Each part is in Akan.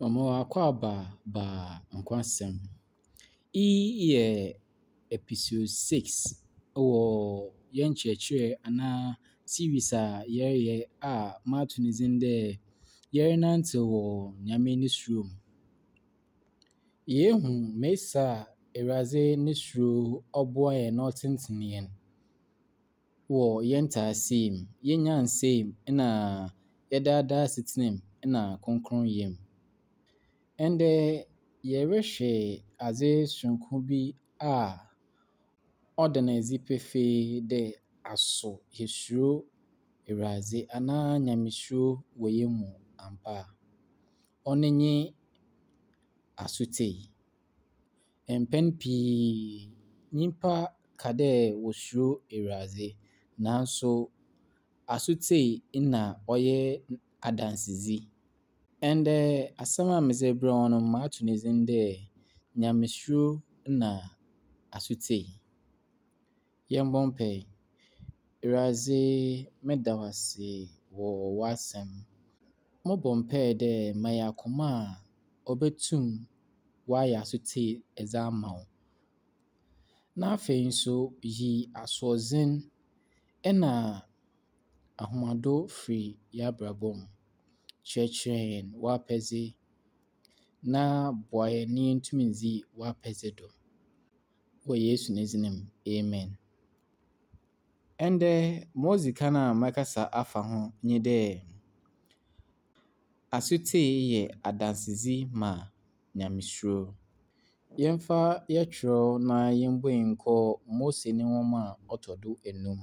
Mema wo akwaaba ba Nkwasɛm. Iyi yɛ episode 6 wɔ yɛn nkyerɛkyerɛ anaa series a yɛreyɛ a mato ne dzin dɛ Yɛrenantsew wɔ Nyame ne Suro mu. Yeehu mesi a Ewuradze ne suro ɔboa hɛn na ɔtsentsen hɛn wɔ hɛn ntseasee mu, hɛn nyansaa mu na hɛn daadaa asetsena mu na krɔnkrɔnyɛ mu. Ndɛ yɛrohwɛ adze soronko bi a ɔda no edzi pefee dɛ aso yesuro Ewuradze anaa Nyamesuro wɔ hɛn mu ampa a. Ɔno nye asotsie. Mpɛn pii nyimpa ka dɛ wosuro Ewuradze naaso asotsie na ɔyɛ adansedzi. Ndɛ asɛm a medze rebrɛ wo no mato ne dzin dɛ Nyamesuro na asotsie. Yɛmbɔ mpae. Ewuradze, meda wo ase wɔ w'asɛm. Mobɔ mpae dɛ ma yɛn akoma a obotum ɔayɛ asotsie dze ama wo. Na afei nso yi asoɔdzen na ahomado firi yɛn abrabɔ mu. Kyerɛkyerɛ hɛn w'apɛdze na boa hɛn na yentum ndzi w'apɛdze do. Wɔ Yesu ne dzin mu, amen. Ndɛ, ma odzi kan a mɛkasa afa ho nye dɛ asotsie yɛ adansedzi ma Nyamesuro. Yɛmfa yɛtwerɛw na yɛmbue nkɔ Mose ne nwoma a ɔtɔ do enum,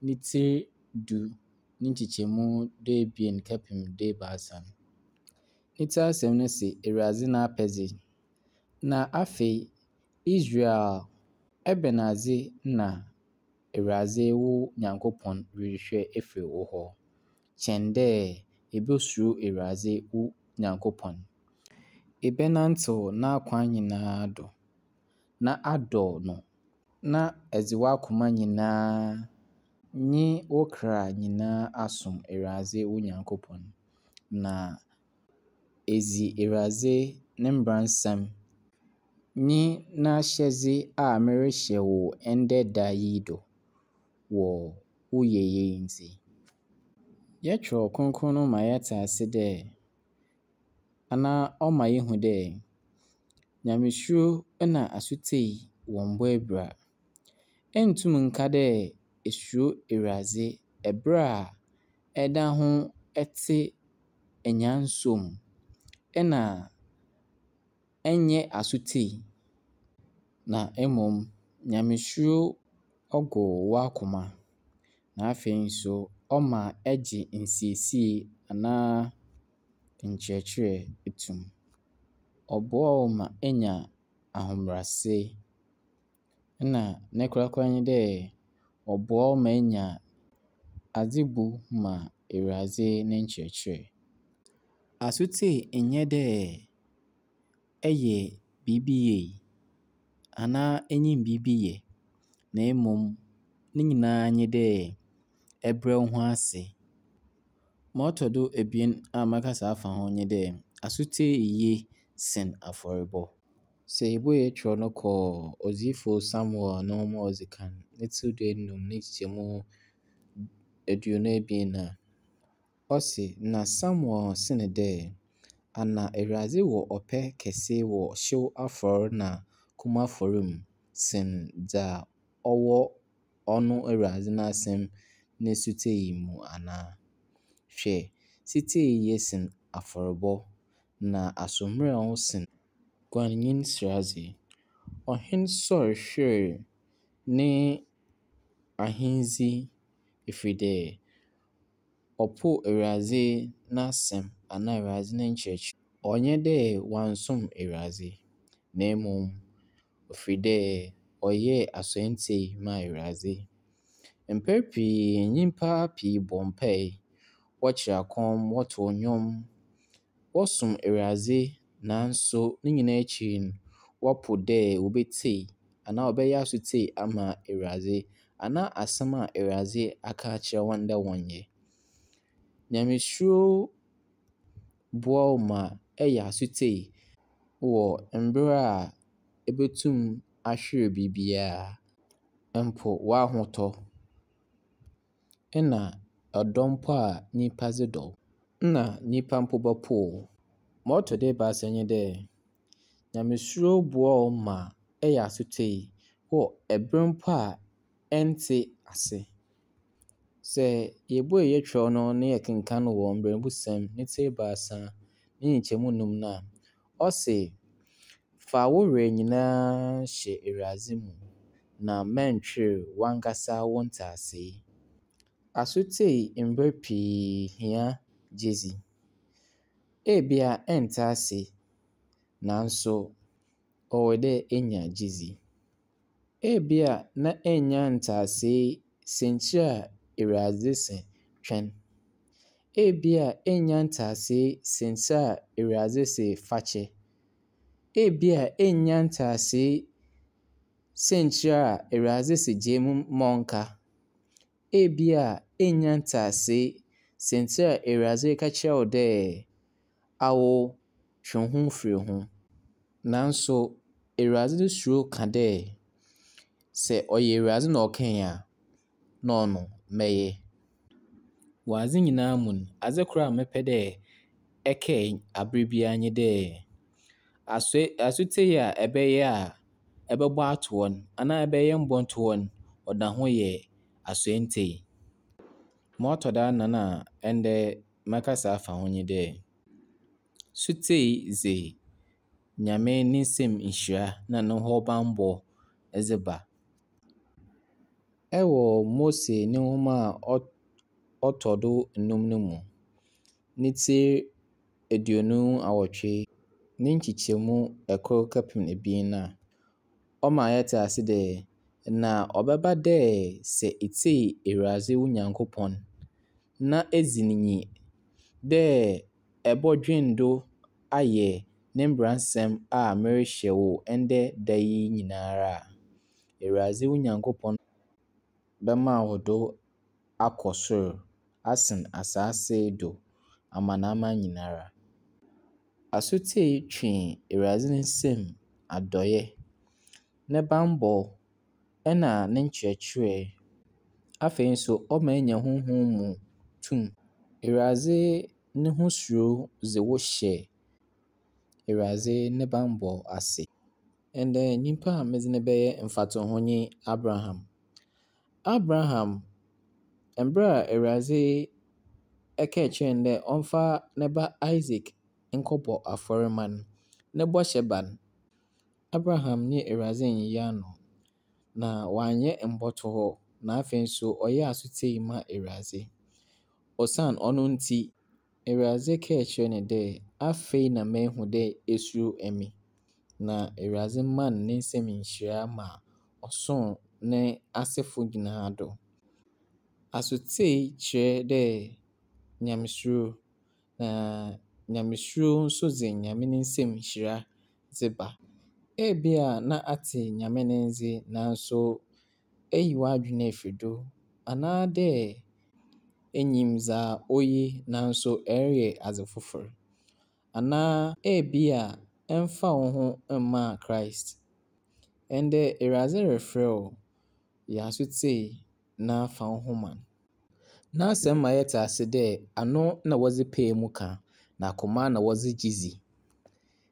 ne tsir 10 ne nkyekyɛmu 12 kɛpem 13 no. Ne tsir asɛm no se Ewuradze n'apɛdze. Na afei, Israel, ebɛnadze na Ewuradze wo Nyankopɔn rohwehwɛ efir wo hɔ kyɛn dɛ ebosuro Ewuradze wo Nyankopɔn, ebɛnantsew n'akwan nyinaa do, na adɔ no, na edze w'akoma nyinaa nye wo kra nyinaa asom Ewuradze wo Nyankopɔn, na edzi Ewuradze ne mbransɛm nye n'ahyɛdze a merehyɛ wo ndɛ da yi do wɔ wo yieyɛ ntsi. Yɛtwerɛw Kronkron no ma yɛtse ase dɛ anaa ɔma yehu dɛ Nyamesuro na asotsie wɔmmbɔ ebira. Enntum nnka dɛ esuro Ewuradze ber a ɛda ho etse enyansom na ɛnnyɛ asotsie, na mbom Nyamesuro ɔgow w'akoma na afei nso ɔma ɛgye nsiesie anaa nkyerɛkyerɛ to mu. Ɔboa wo ma enya ahobrɛase na ne korakora nye dɛ ɔboa wo ma enya adzebu ma Ewuradze ne nkyerɛkyerɛ. Asotsie nnyɛ dɛ ɛyɛ biribi yie anaa enyim biribi yɛ, na mbom ne nyinaa nye dɛ ɛbrɛ wo ho ase. Ma ɔtɔ do ebien a mɛkasa afa ho nye dɛ asotsie ye sen afɔrbɔ. Sɛ yebue kyerɛw no kɔ Odziyifo Samuel no nwoma a odzi kan ne tsir 15 ne nkyekyɛmu 22 a, ɔse, Na Samuel see no dɛ, Ana Ewuradze wɔ ɔpɛ kɛse wɔ hyew afɔr na kum afɔr mu sen dza ɔwɔ ɔno Ewuradze n'asɛm ne setsie mu anaa? Hwɛ, setsie ye sen afɔrbɔ, na asoɔmmerɛw sen guannyin seradze. Ɔhen Saul hweer ne ahendzi ɛfiri dɛ ɔpoow Ewuradze n'asɛm anaa Ewuradze ne nkyerɛkyerɛ. Ɔnnyɛ dɛ ɔannsom Ewuradze, na mbom ɔfiri dɛ ɔyɛɛ asoɛrtsie maa Ewuradze. Mpɛn pii nyimpa pii bɔ mpae, wɔkyerɛ akɔm, wɔtow ndwom, wɔsom Ewuradze naaso ne nyinaa ekyir no, wɔpo dɛ wobetsie anaa wɔbɛyɛ asotsie ama Ewuradze anaa asɛm a Ewuradze aka akyerɛ hɔn dɛ wɔnyɛ. Nyamesuro boa wo ma yɛ asotsie wɔ mber a ebotum ahwer biribiara, mpo w'ahotɔ nna ɔdɔ mpo a nyimpa dze dɔ wo. Nna nyimpa mpo bɔpow wo. Ma ɔtɔ do ebiasa nye dɛ, Nyamesuro boa wo ma eyɛ asotsie wɔ ber mpo a enntse ase. Sɛ yebue hɛn kyerɛw no na yɛkenkan wɔ Mberɛbusɛm ne tsir 3 ne nkyɛmu enum no a, ɔse, "Fa wo werɛ nyina hyɛ Ewuradze mu, na mma nnhwer wankasa wo ntseasee." Asotsie mber pii hia gyedzi. Ebia enntse ase, naaso ɔwɔ dɛ enya gyedzi. Ebia na ennya ntseasee siantsir a Ewuradze se twɛn. Ebia ennya ntseasee siantsir a Ewuradze se fakyɛ. Ebia ennya ntseasee siantsir a Ewuradze se gyaa mu ma ɔnka. Ebia ennya ntseasee siantsir a Ewuradze reka kyerɛ wo dɛ awo twe wo ho fir ho. Naaso Ewuradze no suro ka dɛ, sɛ ɔyɛ Ewuradze na ɔkae a, na ɔno mɛyɛ. Wɔ adze nyinaa mu no, adze kor a mepɛ dɛ ɛkae aber biara nye dɛ, asotsie a ɛbɛyɛ a ɛbɛbɔ ato hɔ no anaa ɛbɛyɛ mbɔnto hɔ no, ɔda ho yɛ asoɛrtsie. Ma ɔtɔ do anan a ndɛ mɛkasa afa ho nye dɛ, sotsie dze Nyame ne nsamu nhyira na no ho bambɔ dze ba. Ɛwɔ Mose no nwoma a ɔtɔ do enum no mu, ne tsir 28 ne nkyekyɛmu 1 kɛpem 2 no a, ɔma yɛtse ase dɛ, Na ɔbɛba dɛ sɛ itsie Ewuradze wo Nyankopɔn na edzi no nyi dɛ ebɔdwen do ayɛ ne mbransɛm a merehyɛ wo ndɛ da yi nyinara a, Ewuradze wo Nyankopɔn bɛma wo do akɔ sor asen asaase do amanaman nyinara. Asotsie twe Ewuradze ne nsamu adɔyɛ, ne bambɔ na ne nkyerɛkyerɛ. Afei so ɔma enya honhom mu tum. Ewuradze no ho suro dze wo hyɛ Ewuradze ne bambɔ ase. Ndɛ nyimpa a medze no bɛyɛ mfatoho nye Abraham. Abraham, mber a Ewuradze kaa kyerɛɛ no dɛ ɔmfa ne ba Isaac nkɔbɔ afɔr mma no, no bɔhyɛ ba no, Abraham nye Ewuradze ennyiyi ano, na ɔannyɛ mbɔtohɔ, na afei so ɔyɛɛ asotsie maa Ewuradze. Osian ɔno ntsi, Ewuradze kaa kyerɛɛ no dɛ, Afei na mehu dɛ esuro emi. Na Ewuradze maa no ne nsamu nhyira ma ɔsoo n'asefo nyina do. Asotsie kyerɛ dɛ Nyamesuro, na Nyamesuro so dze Nyame ne nsamu nhyira dze ba. Ebia na atse Nyame ne ndze naaso eyi w'adwen efi do anaadɛ inyim dza oye naaso ereyɛ adze fofor. Anaa ebia emmfaa woho mmaa Christ. Ndɛ Ewuradze refrɛ wo, yɛ asotsie na fa woho ma no. N'asɛm ma yɛtse ase dɛ ano na wɔdze paa mu ka, na akoma na wɔdze gye dzi.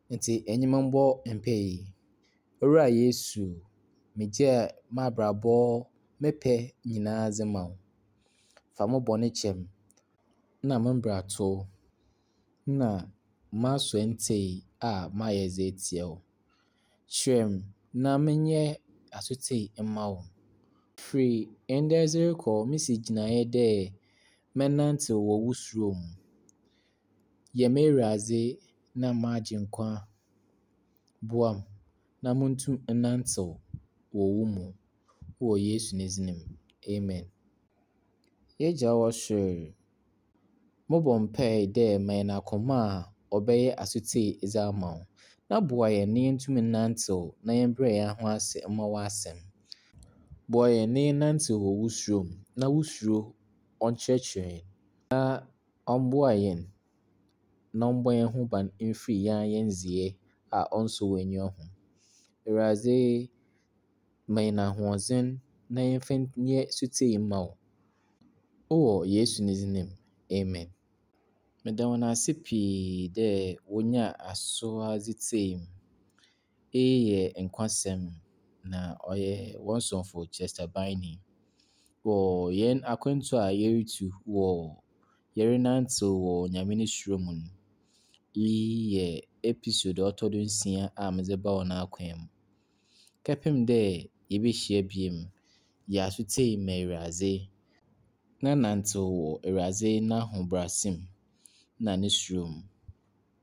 Ntsi enye me mbɔ mpaa yi. Owura Yesu, megyaa m'abrabɔ, me pɛ nyinaa dze ma wo. Fa mo bɔn kyɛ me na me mbrato na m'asoɛrtsie a mayɛ dze etsia wo. Kyerɛ me na menyɛ asotsie mma wo. Firi ndɛ dze rokɔ, misi gyinae dɛ mɛnantsew wɔ wo suro mu. Yɛ m'Ewuradze na m'Agyenkwa. Boa me na muntum nnantsew wɔ wo mu. Wɔ Yesu ne dzin mu, amen. Y'Egya a ɔwɔ sor, mobɔ mpaa dɛ ma hɛn akoma a ɔbɛyɛ asotsie dze ama wo, na boa hɛn na yentum nnantsew na yɛmbrɛ hɛn ho ase mma w'asɛm. Boa hɛn na yɛnnantsew wɔ wo suro mu, na wo suro ɔnkyerɛkyerɛ hɛn na ɔmboa hɛn. na ɔmbɔ hɛn ho ban mfir hɛn ara hɛn ndzeyɛɛ a ɔnnsɔ w'enyiwa ho. Ewuradze, ma hɛn ahoɔdzen na yɛmfa nyɛ setsie mma wo. Wɔ Yesu ne dzin mu, amen. Meda hɔn ase pii dɛ wonyaa asowa dze tsiei me. Iyi yɛ Nkwasɛm, na ɔyɛ hɔn somfo Chester Biney. Wɔ hɛn akwantu a yerutu wɔ yɛrenantsew wɔ Nyame no suro mu no, iyi yɛ episode a ɔtɔ do nsia a medze ba hɔn akwan mu. Kɛpem dɛ yebehyia bio no, yɛ asotsie ma Ewuradze na nantsew wɔ Ewuradze n'ahobrɛase mu na no suro mu.